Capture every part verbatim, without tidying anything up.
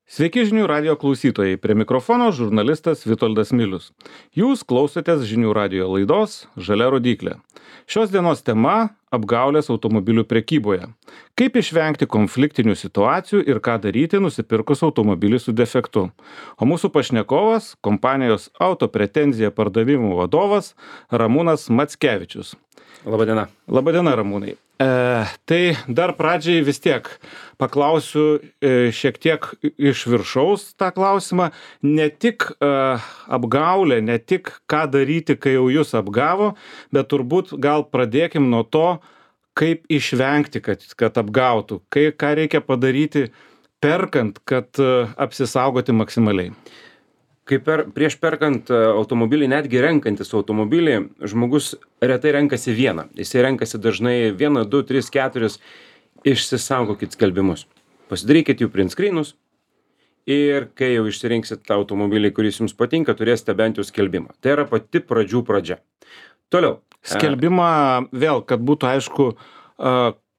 Sveiki žinių radio klausytojai, prie mikrofono žurnalistas Vitoldas Milius. Jūs klausotės žinių radio laidos Žalia rodyklė. Šios dienos tema - apgaulės automobilių prekyboje. Kaip išvengti konfliktinių situacijų ir ką daryti nusipirkus automobilį su defektu. O mūsų pašnekovas - kompanijos Autopretenzija pardavimų vadovas Ramūnas Mackevičius. Labadiena. Labadiena, Ramūnai. E, tai dar pradžiai vis tiek paklausiu e, šiek tiek iš viršaus tą klausimą. Ne tik e, apgaulė, ne tik ką daryti, kai jau jūs apgavo, bet turbūt gal pradėkim nuo to, kaip išvengti, kad, kad apgautų. Kai, ką reikia padaryti perkant, kad e, apsisaugoti maksimaliai. Kaip per, prieš perkant automobilį, netgi renkantis automobilį, žmogus retai renkasi vieną. Jisai renkasi dažnai vieną, du, tris, keturis. Išsisaugokit skelbimus. Pasidarykit jų print screenus ir kai jau išsirinksit tą automobilį, kuris jums patinka, turėsite bent jau skelbimą. Tai yra pati pradžių pradžia. Toliau. Skelbimą vėl, kad būtų aišku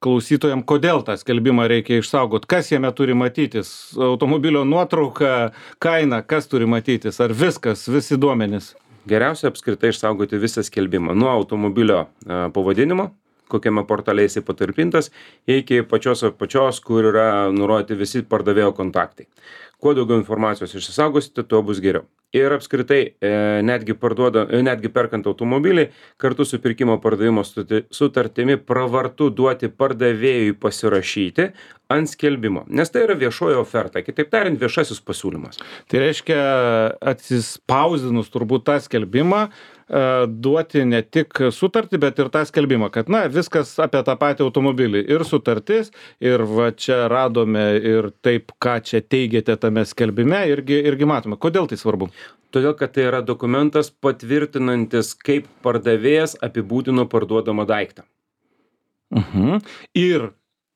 klausytojams, kodėl tą skelbimą reikia išsaugoti, kas jame turi matytis, automobilio nuotrauka, kaina, kas turi matytis, ar viskas, visi duomenys. Geriausia apskritai išsaugoti visą skelbimą nuo automobilio pavadinimo, kokiame portale jisai patalpintas, iki pačios apačios, kur yra nurodyti visi pardavėjo kontaktai. Kuo daugiau informacijos išsisaugosite, tuo bus geriau. Ir apskritai, e, netgi, parduoda, e, netgi perkant automobilį, kartu su pirkimo pardavimo sutartimi pravartu duoti pardavėjui pasirašyti ant skelbimo. Nes tai yra viešoji oferta, kitaip tariant, viešasis pasiūlymas. Tai reiškia, atsispausdinus turbūt tą skelbimą, duoti ne tik sutartį, bet ir tą skelbimą, kad na, viskas apie tą patį automobilį. Ir sutartis, ir va čia radome ir taip, ką čia teigiate tame skelbime, irgi, irgi matome. Kodėl tai svarbu? Todėl, kad tai yra dokumentas patvirtinantis, kaip pardavėjas apibūdino parduodamą daiktą. Uh-huh. Ir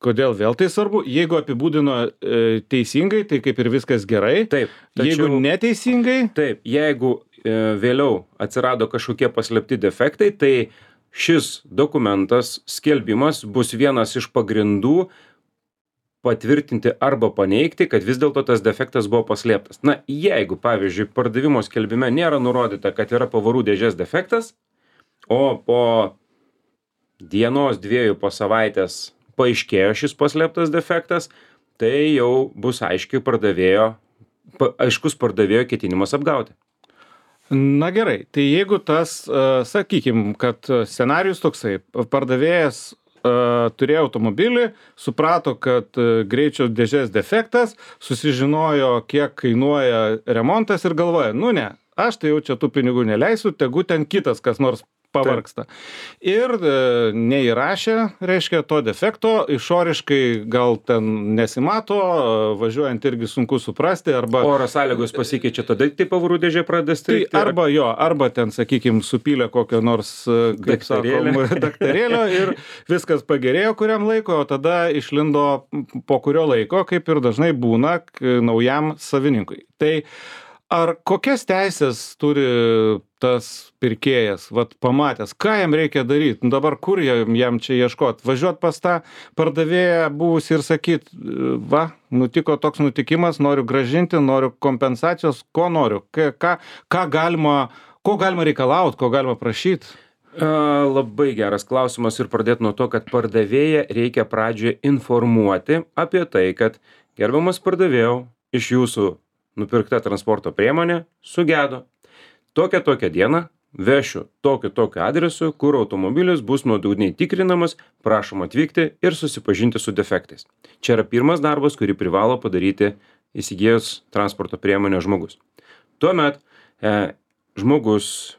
kodėl vėl tai svarbu? Jeigu apibūdino e, teisingai, tai kaip ir viskas gerai. Taip. Tačiau, jeigu neteisingai? Taip. Jeigu e, vėliau atsirado kažkokie paslėpti defektai, tai šis dokumentas, skelbimas bus vienas iš pagrindų patvirtinti arba paneigti, kad vis dėlto tas defektas buvo paslėptas. Na, jeigu, pavyzdžiui, pardavimo skelbime nėra nurodyta, kad yra pavarų dėžės defektas, o po dienos, dviejų, po savaitės paaiškėjo šis paslėptas defektas, tai jau bus aiškiai pardavėjo, pa, aiškus pardavėjo ketinimas apgauti. Na gerai, tai jeigu tas, sakykim, kad scenarijus toksai, pardavėjas turėjo automobilį, suprato, kad greičio dėžės defektas, susižinojo, kiek kainuoja remontas ir galvoja, nu ne, aš tai jau čia tų pinigų neleisiu, tegu ten kitas kas nors pavargsta. Taip. Ir e, neįrašė, reiškia, to defekto, išoriškai gal ten nesimato, važiuojant irgi sunku suprasti, arba... Oro sąlygos pasikeičia, tada tai pavarų dėžė pradeda strigti. Tai arba jo, arba ten, sakykim, supylė kokio nors, kaip sakom, daktarėlio ir viskas pagerėjo kuriam laiko, o tada išlindo po kurio laiko, kaip ir dažnai būna naujam savininkui. Tai ar kokias teisės turi tas pirkėjas, vat pamatęs, ką jam reikia daryti, nu, dabar kur jam, jam čia ieškoti, važiuoti pas tą pardavėją buvusį ir sakyti, va, nutiko toks nutikimas, noriu gražinti, noriu kompensacijos, ko noriu, ką, ką, ką galima, ko galima reikalauti, ko galima prašyti? A, labai geras klausimas ir pradėti nuo to, kad pardavėją reikia pradžioje informuoti apie tai, kad gerbiamas pardavėjau, iš jūsų nupirkta transporto priemonė sugedo. Tokią tokią dieną vešiu tokiu tokiu adresu, kur automobilis bus nuodugniai tikrinamas, prašom atvykti ir susipažinti su defektais. Čia yra pirmas darbas, kurį privalo padaryti įsigijęs transporto priemonę žmogus. Tuomet e, žmogus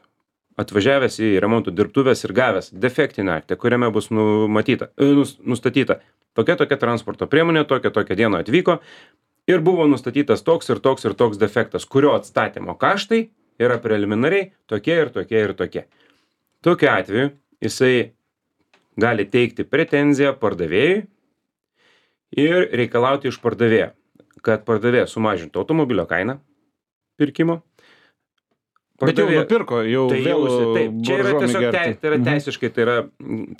atvažiavęs į remonto dirbtuvės ir gavęs defektinį aktą, kuriame bus numatyta, e, nustatyta tokia tokia transporto priemonė, tokia tokia diena atvyko, ir buvo nustatytas toks ir toks ir toks defektas, kurio atstatymo kaštai yra preliminariai tokie ir tokie ir tokie. Tokiu atveju jisai gali teikti pretenziją pardavėjui ir reikalauti iš pardavėjo, kad pardavėjas sumažintų automobilio kainą pirkimo, Bet jau nupirko, jau tai vėl jausi, taip, čia yra tiesiog te, tai yra teisiškai, tai yra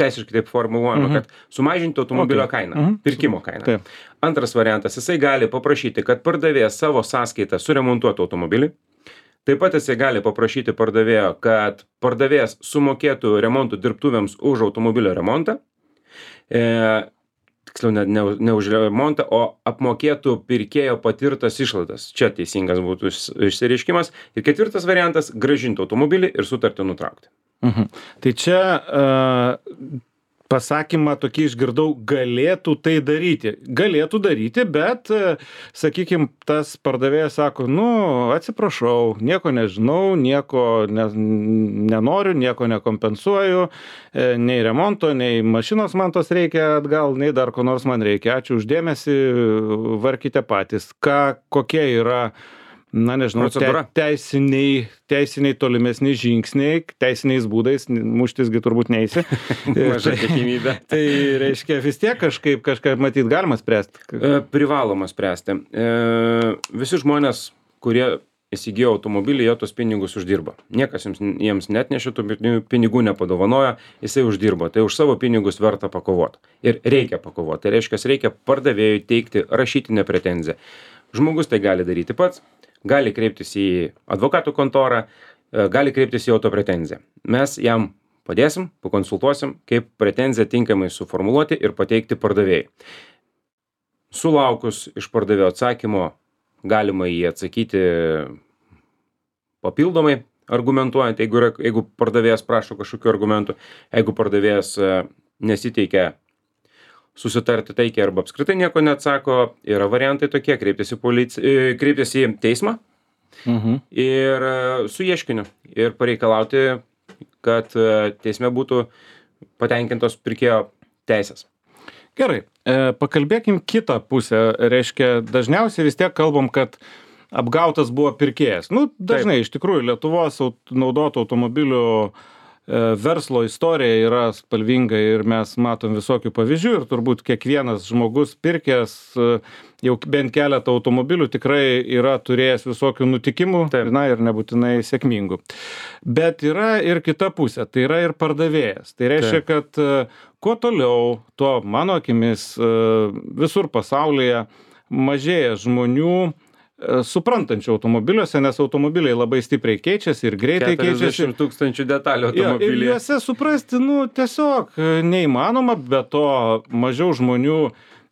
teisiškai taip formuluojama, mhm. kad sumažinti automobilio okay. kainą, mhm. pirkimo kainą. Taip. Antras variantas, jisai gali paprašyti, kad pardavėjas savo sąskaitą suremontuotų automobilį. Taip pat jisai gali paprašyti pardavėjo, kad pardavėjas sumokėtų remontų dirbtuvėms už automobilio remontą. E, tiksliau, ne, ne, ne už remontą, o apmokėtų pirkėjo patirtas išlaidas. Čia teisingas būtų išsireiškimas. Ir ketvirtas variantas - grąžinti automobilį ir sutartį nutraukti. Mhm. Tai čia uh, pasakymą tokį išgirdau, galėtų tai daryti. Galėtų daryti, bet, sakykime, tas pardavėjas sako, nu, atsiprašau, nieko nežinau, nieko ne, nenoriu, nieko nekompensuoju, nei remonto, nei mašinos man tos reikia atgal, nei dar ko nors man reikia. Ačiū už dėmesį, varkite patys. Ką, kokie yra, na nežinau, te, teisiniai, teisiniai tolimesni žingsniai, teisiniais būdais, muštisgi turbūt neisi. Maža tikimybė. Tai reiškia, vis tiek kažkaip, kažkaip matyt, galima spręsti. E, privaloma spręsti. E, visi žmonės, kurie įsigijo automobilį, jie tos pinigus uždirba. Niekas jiems, jiems net nešė tų pinigų nepadovanojo, jisai uždirbo. Tai už savo pinigus verta pakovoti. Ir reikia pakovoti. Tai reiškia, reikia pardavėjui teikti rašytinę pretenziją. Žmogus tai gali daryti pats. Gali kreiptis į advokatų kontorą, gali kreiptis į autopretenziją. Mes jam padėsim, pakonsultuosim, kaip pretenziją tinkamai suformuluoti ir pateikti pardavėjai. Sulaukus iš pardavėjo atsakymo, galima jį atsakyti papildomai, argumentuojant, jeigu, yra, jeigu pardavėjas prašo kažkokių argumentų, jeigu pardavėjas nesiteikia susitarti taikiai arba apskritai nieko neatsako, yra variantai tokie, kreiptis į, polici... kreiptis į teismą mhm. ir su ieškiniu ir pareikalauti, kad teisme būtų patenkintos pirkėjo teisės. Gerai, e, pakalbėkim kitą pusę. Reiškia, dažniausiai vis tiek kalbam, kad apgautas buvo pirkėjas. Nu, dažnai Taip. Iš tikrųjų Lietuvos aut... naudotų automobilių verslo istorija yra spalvinga ir mes matom visokių pavyzdžių ir turbūt kiekvienas žmogus pirkęs jau bent keletą automobilių tikrai yra turėjęs visokių nutikimų, Taip. Na ir nebūtinai sėkmingų. Bet yra ir kita pusė, tai yra ir pardavėjas. Tai reiškia, Taip. Kad kuo toliau, tuo mano akimis visur pasaulyje mažėja žmonių suprantančių automobiliuose, nes automobiliai labai stipriai keičiasi ir greitai keičiasi. keturiasdešimt tūkstančių detalių automobilyje. Ja, ir juose suprasti, nu, tiesiog neįmanoma, bet to mažiau žmonių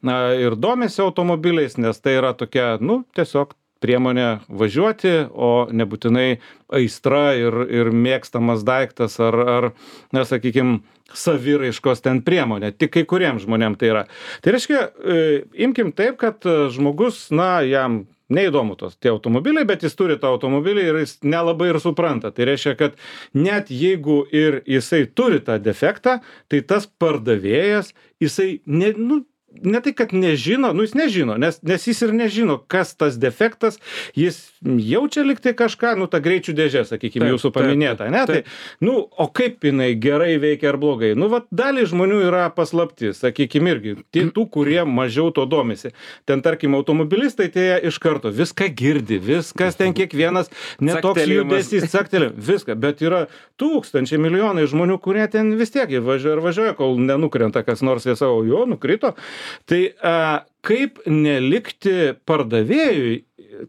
na, ir domisi automobiliais, nes tai yra tokia, nu, tiesiog priemonė važiuoti, o nebūtinai aistra ir, ir mėgstamas daiktas ar, ar na, sakykime, saviraiškos ten priemonė. Tik kai kuriems žmonėms tai yra. Tai reiškia, imkim taip, kad žmogus, na, jam neįdomu tos tie automobiliai, bet jis turi tą automobilį ir jis nelabai ir supranta. Tai reiškia, kad net jeigu ir jisai turi tą defektą, tai tas pardavėjas, jisai ne, nu, ne tai, kad nežino, nu jis nežino, nes, nes jis ir nežino, kas tas defektas, jis jaučia liktai kažką, nu ta greičių dėžė, sakykime, jūsų paminėta, ne? Tai, nu, o kaip jinai gerai veikia ar blogai? Nu, vat dalį žmonių yra paslaptis, sakykime, irgi, tų, kurie mažiau to domisi. Ten, tarkim, automobilistai, tai iš karto viską girdi, viskas ten kiekvienas, netoks judesys, caktelė, viską, bet yra tūkstančiai, milijonai žmonių, kurie ten vis tiek važiuoja ir važiuoja, kol nenukrenta kas nors, jie savo, jo, nukrito. Tai a, kaip nelikti pardavėjui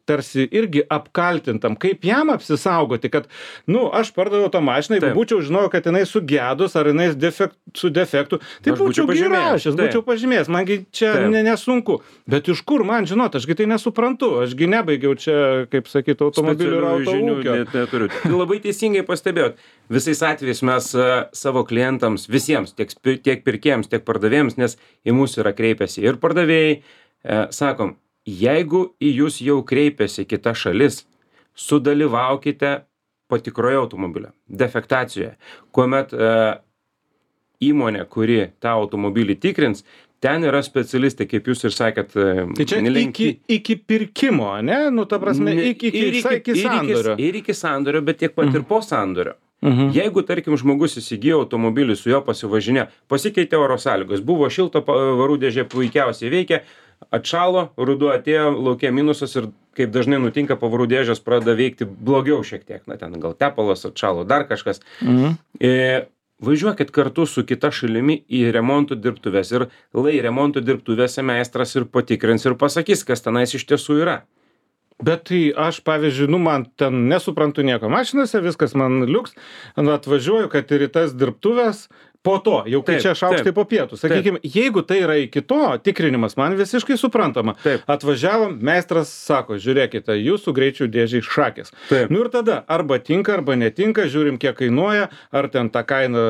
tarsi irgi apkaltintam, kaip jam apsisaugoti, kad, nu, aš pardaviau tą mašiną, jeigu būčiau žinojau, kad jinai sugedus ar jinai defekt, su defektu, tai aš būčiau įrašęs, būčiau pažymėjęs, mangi čia ne, nesunku. Bet iš kur man žinot, ašgi tai nesuprantu, ašgi nebaigiau čia, kaip sakyti, automobilių ir autoūkio. Net neturiu. Labai teisingai pastebėjot. Visais atvejais mes uh, savo klientams, visiems, tiek, tiek pirkėjams, tiek pardavėjams, nes į mūsų yra kreipiasi ir pardavėjai, uh, sakom, jeigu į jūs jau kreipiasi kita šalis, sudalyvaukite patikroje automobilio, defektacijoje, kuomet e, įmonė, kuri tą automobilį tikrins, ten yra specialistai, kaip jūs ir sakėt. Tai čia iki, iki pirkimo, ne? Nu, ta prasme, iki, iki, ir iki, iki sandorio. Ir iki sandorio, bet tiek pat ir po sandorio. Mhm. Jeigu, tarkim, žmogus įsigijo automobilį, su juo pasivažinė, pasikeitė oro sąlygos, buvo šilta, varų dėžė puikiausiai veikia, atšalo, ruduo atėjo, lauke minusas ir kaip dažnai nutinka, pavarų dėžės pradeda veikti blogiau šiek tiek. Na, ten gal tepalas atšalo, dar kažkas. Mhm. E, važiuokit kartu su kita šalimi į remonto dirbtuves ir lai remonto dirbtuvėse meistras ir patikrins ir pasakys, kas tenais iš tiesų yra. Bet tai aš, pavyzdžiui, nu, man ten nesuprantu nieko mašinose, viskas man liuks, nu, atvažiuoju, kad ir į tas dirbtuvės, po to, jau kai Taip, čia šaukštai taip. po pietų. Sakykime, jeigu tai yra iki to tikrinimas, man visiškai suprantama. Taip. Atvažiavom, meistras sako, žiūrėkite, jūsų greičių dėžiai šakės. Taip. Nu ir tada, arba tinka, arba netinka, žiūrim, kiek kainuoja, ar ten tą kainą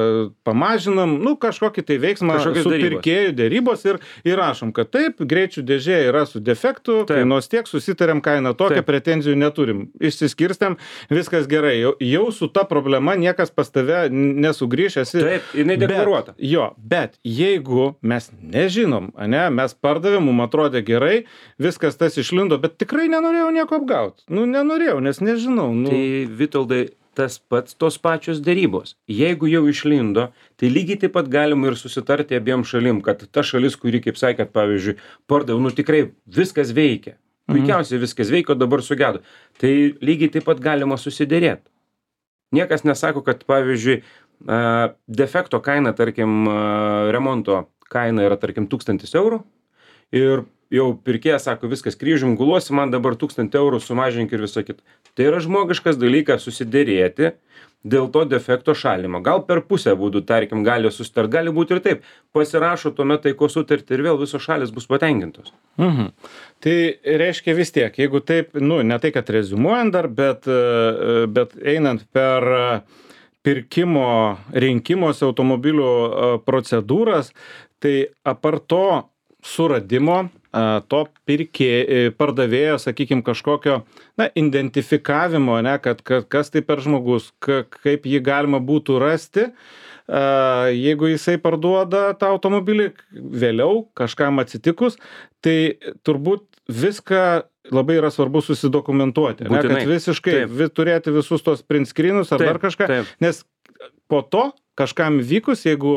pamažinam, nu, kažkokį tai veiksmą Kažkokios su derybos. pirkėjų dėrybos ir įrašom, kad taip, greičių dėžė yra su defektu, Taip. kainuos tiek, susitarėm kainą tokią, Taip. pretenzijų neturim. Išsiskirstėm, viskas gerai. Jau, jau su ta problema niekas pas tave nesugrįš, esi. Taip, jinai deklaruota. Bet, jo, bet jeigu mes nežinom, ane, mes pardavėm, mums atrodė gerai, viskas tas išlindo, bet tikrai nenorėjau nieko apgauti. Nu, nenorėjau, nes nežinau. Nu. Tai Vitoldai, tas pats tos pačios dėrybos. Jeigu jau išlindo, tai lygiai taip pat galima ir susitarti abiem šalim, kad ta šalis, kuri, kaip sakėt, pavyzdžiui, pardavė, nu tikrai viskas veikia. Puikiausiai viskas veikia, o dabar sugedo. Tai lygiai taip pat galima susidėrėti. Niekas nesako, kad, pavyzdžiui, a, defekto kaina, tarkim, a, remonto kaina yra, tarkim, tūkstantis eurų ir jau pirkėjas sako, viskas kryžium guluosi, man dabar tūkstantį eurų sumažink ir visą kitą. Tai yra žmogiškas dalykas susidėrėti dėl to defekto šalimo. Gal per pusę būdų, tarkim, gali susitart, gali būti ir taip. Pasirašo tuomet taikos sutartį ir vėl visos šalis bus patenkintos. Mhm. Tai reiškia vis tiek, jeigu taip, nu, ne tai, kad rezumuojant dar, bet, e, bet einant per e, pirkimo rinkimosi automobilių e, procedūras, tai apart to suradimo, e, to pirkė, e, pardavėjo, sakykime, kažkokio, na, identifikavimo, ne, kad, kad kas tai per žmogus, ka, kaip jį galima būtų rasti, e, jeigu jisai parduoda tą automobilį vėliau, kažkam atsitikus, tai turbūt viską labai yra svarbu susidokumentuoti, ne, kad visiškai vi, turėti visus tos print screenus ar Taip, dar kažką, taip. nes po to kažkam vykus, jeigu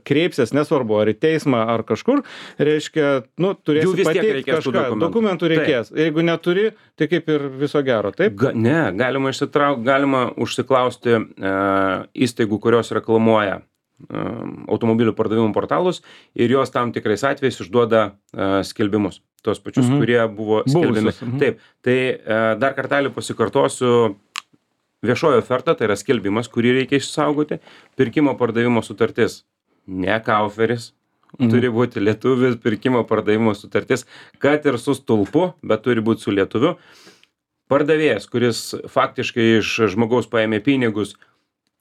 kreipsies, nesvarbu, ar į teismą, ar kažkur, reiškia, nu, Jų turėsi vis tiek pateikti reikės tų kažką, dokumentų. dokumentų reikės. Jeigu neturi, tai kaip ir viso gero, taip? Ga, ne, galima išsitraukti, galima užsiklausti e, įstaigų, kurios reklamuoja e, automobilių pardavimų portalus ir jos tam tikrais atvejais išduoda e, skelbimus. Tos pačius, Mhm. kurie buvo skelbiami. Buvusius, mhm. Taip, tai e, dar kartelį pasikartosiu. Viešoji oferta, tai yra skelbimas, kurį reikia išsaugoti. Pirkimo pardavimo sutartis, ne kauferis, Mhm. turi būti lietuvis pirkimo pardavimo sutartis, kad ir su stulpu, bet turi būti su lietuviu. Pardavėjas, kuris faktiškai iš žmogaus paėmė pinigus,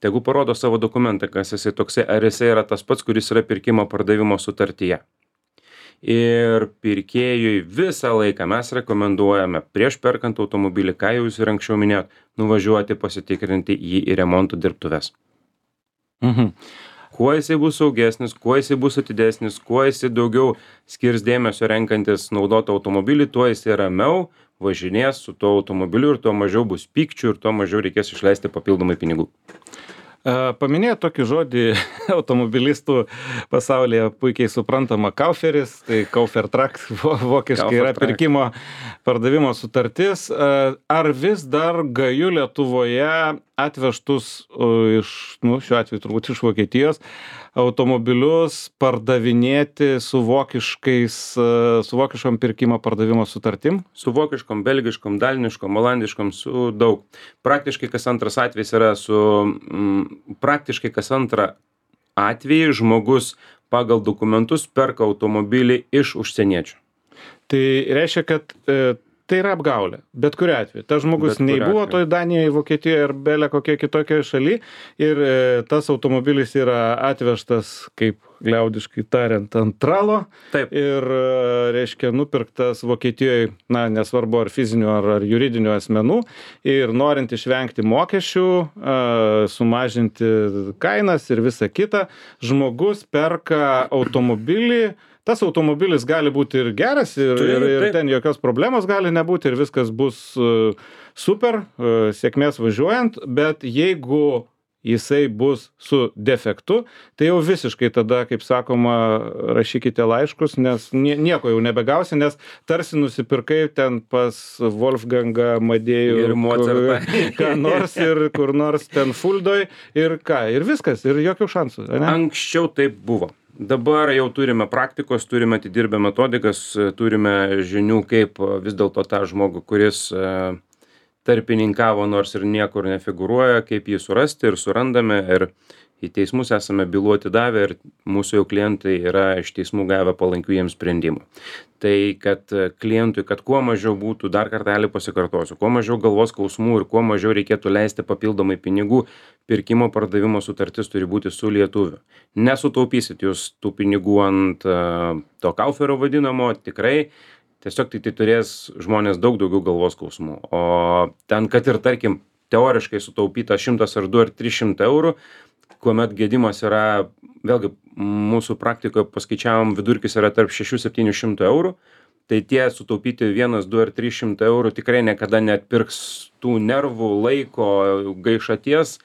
tegu parodo savo dokumentą, kas jisai toksai, ar jisai yra tas pats, kuris yra pirkimo pardavimo sutartyje. Ir pirkėjui visą laiką mes rekomenduojame prieš perkant automobilį, ką jūs ir anksčiau minėjot, nuvažiuoti pasitikrinti jį į remonto dirbtuves. Mhm. Kuo jisai bus saugesnis, kuo jisai bus atidesnis, kuo jisai daugiau skirs dėmesio renkantis naudotą automobilį, tuo jisai ramiau važinės su tuo automobiliu ir tuo mažiau bus pykčių ir tuo mažiau reikės išleisti papildomai pinigų. Paminėjo tokį žodį automobilistų pasaulyje puikiai suprantama kauferis, tai Kaufertrakt vokiškai yra Kaufertrakt. pirkimo pardavimo sutartis. Ar vis dar gaju Lietuvoje atvežtus iš, nu, šiuo atveju turbūt iš Vokietijos, automobilius pardavinėti su vokiškais, su vokiškom pirkimo pardavimo sutartim? Su vokiškom, belgiškom, daliniškom, olandiškom, su daug. Praktiškai kas antras atvejis yra su, m, praktiškai kas antrą atvejį žmogus pagal dokumentus perka automobilį iš užsieniečių. Tai reiškia, kad e, tai yra apgaulė, bet kuriuo atveju. Tas žmogus Bet nei kuriuo buvo atveju. toj Danijoje, Vokietijoje ar belė kokie kitokioje šaly ir e, tas automobilis yra atvežtas, kaip liaudiškai tariant, ant tralo Taip. ir, e, reiškia, nupirktas Vokietijoje, na, nesvarbu ar fizinių ar, ar juridinių asmenų ir norint išvengti mokesčių, e, sumažinti kainas ir visa kita, žmogus perka automobilį. Tas automobilis gali būti ir geras ir, Taip, ir, ir taip. ten jokios problemos gali nebūti ir viskas bus uh, super, uh, sėkmės važiuojant, bet jeigu jisai bus su defektu, tai jau visiškai tada, kaip sakoma, rašykite laiškus, nes nieko jau nebegausi, nes tarsi nusipirkai ten pas Wolfgangą, Madėjų ir Mozartą, ką nors ir kur nors ten Fuldoj ir ką, ir viskas, ir jokių šansų. Ne? Anksčiau taip buvo. Dabar jau turime praktikos, turime atidirbę metodikas, turime žinių, kaip vis dėlto tą žmogų, kuris tarpininkavo, nors ir niekur nefigūruoja, kaip jį surasti ir surandame ir į teismus esame bylų atidavę ir mūsų jau klientai yra iš teismų gavę palankių jiems sprendimų. Tai kad klientui, kad kuo mažiau būtų, dar kartelį pasikartosiu, kuo mažiau galvos skausmų ir kuo mažiau reikėtų leisti papildomai pinigų, pirkimo pardavimo sutartis turi būti su lietuviu. Nesutaupysit jūs tų pinigų ant uh, to kauferio vadinamo, tikrai. Tiesiog tai, tai turės žmonės daug daugiau galvos skausmų. O ten, kad ir tarkim, teoriškai sutaupyta šimtas ar du ar trys šimtai eurų, kuomet gedimas yra, vėlgi, mūsų praktikoje paskaičiavom, vidurkis yra tarp šešių septynių šimtų eurų, tai tie sutaupyti vienas, du ar trys šimtai eurų tikrai niekada neatpirks tų nervų, laiko, gaišaties,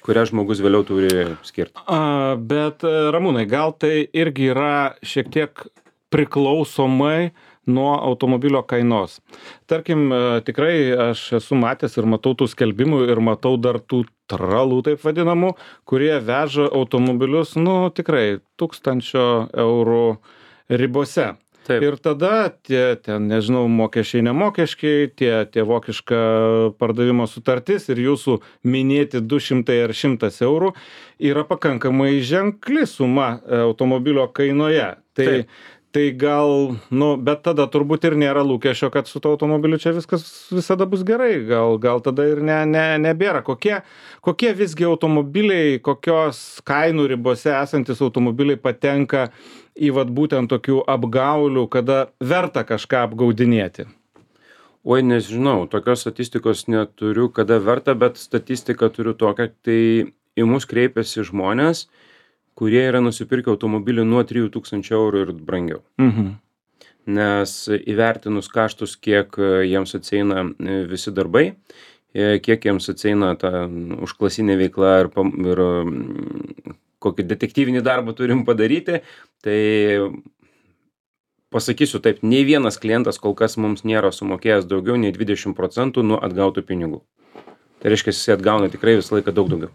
kurią žmogus vėliau turi skirti. A, bet, Ramūnai, gal tai irgi yra šiek tiek priklausomai nuo automobilio kainos. Tarkim, tikrai aš esu matęs ir matau tų skelbimų ir matau dar tų tralų, taip vadinamų, kurie veža automobilius, nu, tikrai tūkstančio eurų ribose. Taip. Ir tada tie, ten, nežinau, mokesčiai, nemokesčiai, tie, tie vokiška pardavimo sutartis ir jūsų minėti du šimtai ar šimtas eurų yra pakankamai ženkli suma automobilio kainoje. Tai Taip. Tai gal, nu, bet tada turbūt ir nėra lūkesčio, kad su to automobiliu čia viskas visada bus gerai. Gal, gal tada ir ne, ne, nebėra. Kokie, kokie visgi automobiliai, kokios kainų ribose esantis automobiliai patenka į vat būtent tokių apgaulių, kada verta kažką apgaudinėti? Oi, nežinau, tokios statistikos neturiu, kada verta, bet statistiką turiu tokią, tai į mus kreipiasi žmonės, kurie yra nusipirkę automobilį nuo trijų tūkstančių eurų ir brangiau. Mhm. Nes įvertinus kaštus, kiek jiems atsieina visi darbai, kiek jiems atsieina ta užklasinė veikla ir, ir kokį detektyvinį darbą turim padaryti, tai pasakysiu taip, nei vienas klientas kol kas mums nėra sumokėjęs daugiau nei dvidešimt procentų nuo atgautų pinigų. Tai reiškia, jis atgauna tikrai visą laiką daug daugiau.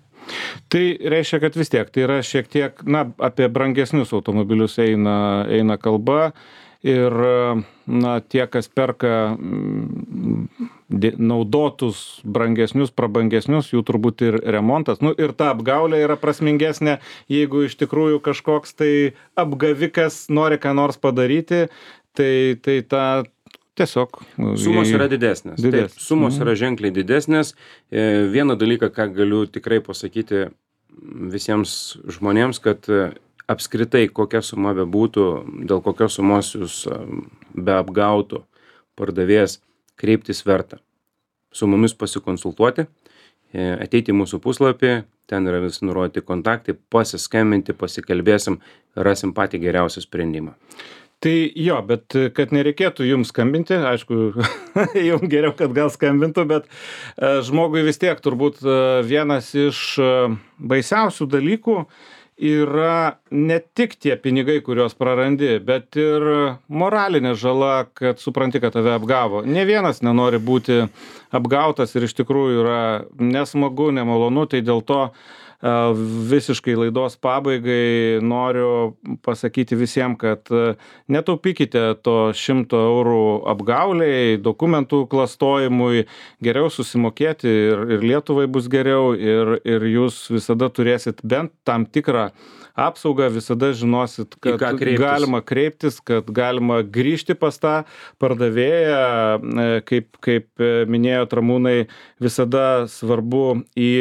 Tai reiškia, kad vis tiek tai yra šiek tiek, na, apie brangesnius automobilius eina, eina kalba ir, na, tie, kas perka naudotus brangesnius, prabangesnius, jų turbūt ir remontas, nu, ir ta apgaulė yra prasmingesnė, jeigu iš tikrųjų kažkoks tai apgavikas nori ką nors padaryti, tai, tai ta tiesiog. Sumos yra didesnės. Didesnės. Taip, sumos yra ženkliai didesnės. Vieną dalyką, ką galiu tikrai pasakyti visiems žmonėms, kad apskritai kokia suma bebūtų, dėl kokios sumos jūs be apgautų pardavėjas, kreiptis verta. Su mumis pasikonsultuoti, ateiti į mūsų puslapį, ten yra visi nurodyti kontaktai, pasiskambinti, pasikalbėsim, rasim patį geriausią sprendimą. Tai jo, bet kad nereikėtų jums skambinti, aišku, jums geriau, kad gal skambintų, bet žmogui vis tiek turbūt vienas iš baisiausių dalykų yra ne tik tie pinigai, kuriuos prarandi, bet ir moralinė žala, kad supranti, kad tave apgavo. Ne vienas nenori būti apgautas ir iš tikrųjų yra nesmagu, nemalonu, tai dėl to visiškai laidos pabaigai noriu pasakyti visiems, kad netaupykite to šimto eurų apgauliai, dokumentų klastojimui, geriau susimokėti ir, ir Lietuvai bus geriau ir, ir jūs visada turėsit bent tam tikrą apsaugą, visada žinosit, kad kreiptis. Galima kreiptis, kad galima grįžti pas tą pardavėją, kaip, kaip minėjo Ramūnai, visada svarbu į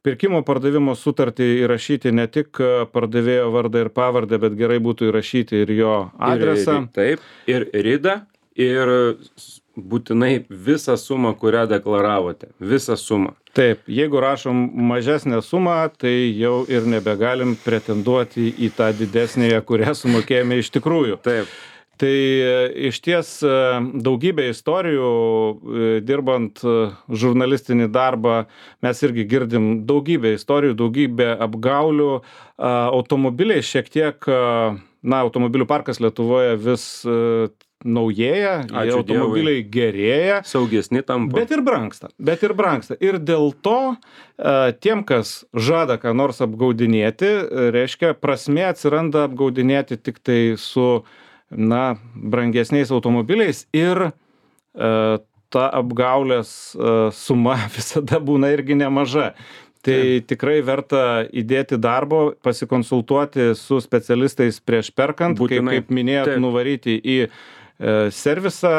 pirkimo pardavimo sutartį įrašyti ne tik pardavėjo vardą ir pavardę, bet gerai būtų įrašyti ir jo adresą. Ir, taip, ir ridą, ir būtinai visą sumą, kurią deklaravote. Visą sumą. Taip, jeigu rašom mažesnę sumą, tai jau ir nebegalim pretenduoti į tą didesnėje, kurią sumokėjome iš tikrųjų. Taip. Tai iš ties daugybė istorijų, dirbant žurnalistinį darbą, mes irgi girdim daugybę istorijų, daugybę apgaulių. Automobiliai šiek tiek, na, automobilių parkas Lietuvoje vis naujėja, automobiliai Dievui. Gerėja. Saugesni tampa. Bet ir brangsta, bet ir brangsta. Ir dėl to tiem, kas žada ką nors apgaudinėti, reiškia, prasmė atsiranda apgaudinėti tik tai su na, brangesniais automobiliais ir e, ta apgaulės e, suma visada būna irgi nemaža. Tai ja. Tikrai verta įdėti darbo, pasikonsultuoti su specialistais prieš perkant, kaip, kaip minėjot, Taip. nuvaryti į e, servisą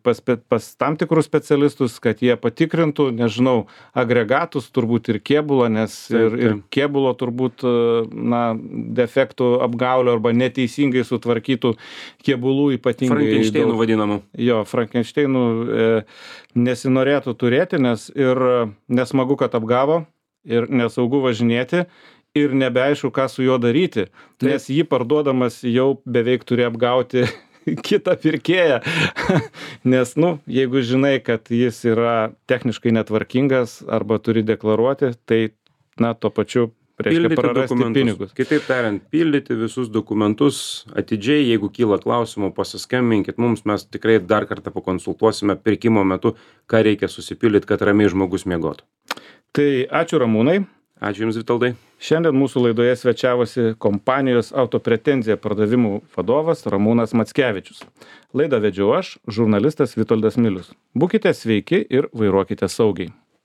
pas, pas tam tikrus specialistus, kad jie patikrintų, nežinau, agregatus, turbūt ir kėbulą, nes taip, ir, ir kėbulo turbūt na, defektų apgaulio arba neteisingai sutvarkytų kėbulų ypatingai. Frankenšteinų vadinamų. Jo, Frankenšteinų e, nesinorėtų turėti, nes ir nesmagu, kad apgavo, ir nesaugu važinėti, ir nebeaišku, ką su juo daryti, taip. Nes jį parduodamas jau beveik turi apgauti kitą pirkėją, nes, nu, jeigu žinai, kad jis yra techniškai netvarkingas arba turi deklaruoti, tai, na, tuo pačiu reiškia prarasti pinigus. Kitaip tariant, pildyti visus dokumentus atidžiai, jeigu kyla klausimų, pasiskambinkit mums, mes tikrai dar kartą pakonsultuosime pirkimo metu, ką reikia susipildyti, kad ramiai žmogus miegotų. Tai ačiū Ramūnai. Ačiū Jums, Vitoldai. Šiandien mūsų laidoje svečiavosi kompanijos Autopretenzija pardavimų vadovas Ramūnas Mackevičius. Laidą vedžiau aš, žurnalistas Vitoldas Milius. Būkite sveiki ir vairuokite saugiai.